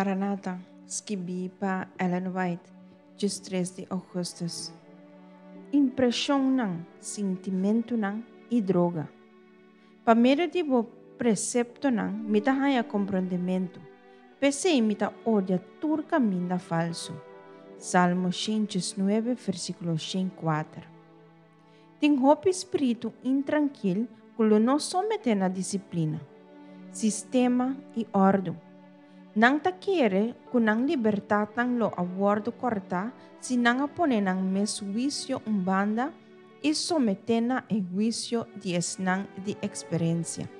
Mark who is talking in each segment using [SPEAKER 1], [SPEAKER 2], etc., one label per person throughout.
[SPEAKER 1] Maranata, skibí pa Ellen White, 13 di ougùstùs. Impreshonnan, sintimentunan i droga. Pa medio di bo preseptonan mi ta haña komprondementu, p'esei mi ta odia tur kaminda falsu. Salmo 119, versíkulo 104. Tin hopi spiritu intrankil ku lo no someté na disiplina, sistema i òrdu. Nan ta kere ku nan libertatnan lo a wòrdu kòrtá si nan a pone nan mes huisio un banda i someté na e huisio di esnan di eksperensia.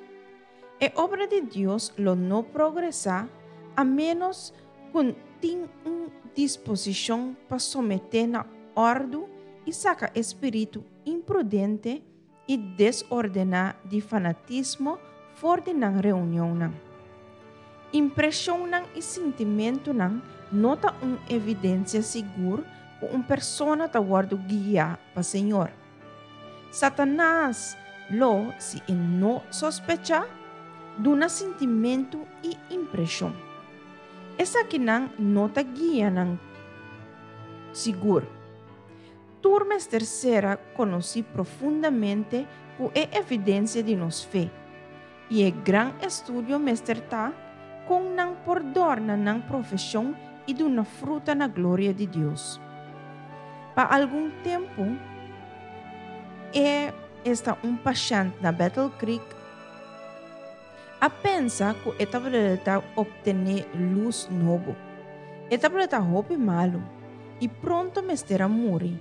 [SPEAKER 1] E obra di Dios lo no progresá a ménos ku tin un disposishon pa someté na òrdu i saka e spiritu imprudente i desordená di fanatismo for di nan reunionnan. Impreshonnan i sintimentunan no ta un evidensia sigur ku un persona ta wòrdu guiá pa Señor. Satanas lo, si e no sospechá, duna sintimentu i impreshon. Esakinan no ta guianan sigur. Tur mester sera konosí profundamente ku e evidensia di nos fe, i e gran estudio mester ta kon nan por dòrna nan profeshon i duna fruta na gloria di Dios. Pa algun tempu e esta un pashènt na Battle Creek a pensa ku e tabata optené lus nobo. E tabata hopi malu i pronto mester a muri.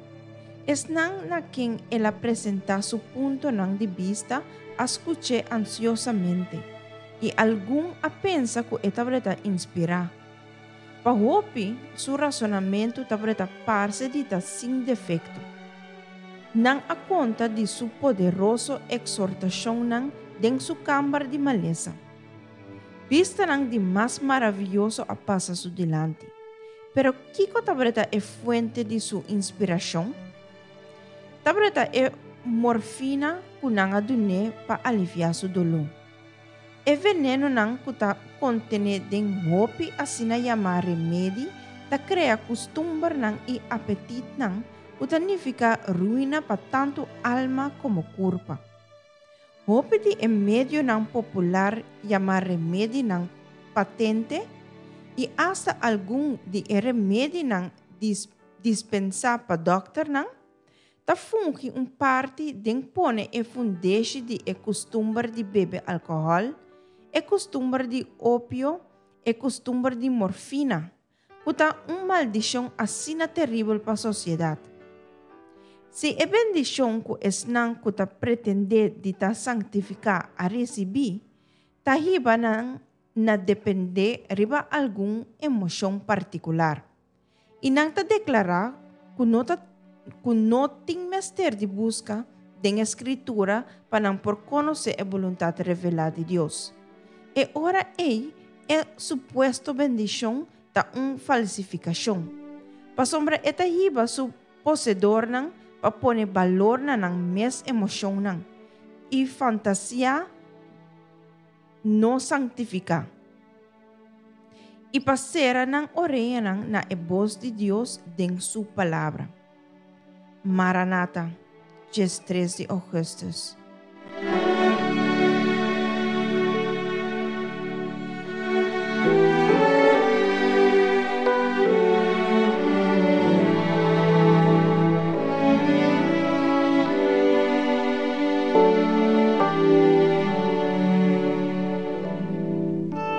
[SPEAKER 1] Esnan na ken el a presentá su puntonan di bista a skuch'é ansiosamente, i algun a pensa ku e tabata inspirá. Pa hopi, su rasonamentu tabata parse di ta sin defekto. Nan a konta di su poderoso eksortashonnan den su kamber di malesa. Bistanan di mas maravioso a pasa su dilanti. Pero kiko tabata e fuente di su inspirashon? Tabata e morfina ku nan a dun'é pa aliviá su doló. E venenonan ku ta kontené den hopi asina yamá remedi ta krea kustumbernan i apetitnan ku ta nifiká ruina pa tantu alma komo kurpa. Hopi di e medionan popular yamá remedinan patente i asta algun di e remedinan dispensá pa dòkternan ta fungi un parti den pone e fundeshi di e kustumber di bebe alkohòl, e kustumber di opio, e kustumber di morfina, ku ta un maldishon asina teribel pa sosiedat. Si e bendishon ku esnan ku ta pretendé di ta sanktifiká a risibí, ta hiba nan na dependé riba algun emoshon partikular. I nan ta deklará ku no ta ku no tin mester di buska den e Skritura pa nan por konosé e boluntat revelá di Dios. E ora ei e supuesto bendishon ta un falsifikashon, pasobra e ta hiba su poseedornan pa pone balor na nan mes emoshonnan i fantasiá no sanktifiká, i pa sera nan oreanan na e bos di Dios den su Palabra. Maranata, 13 di ougùstùs.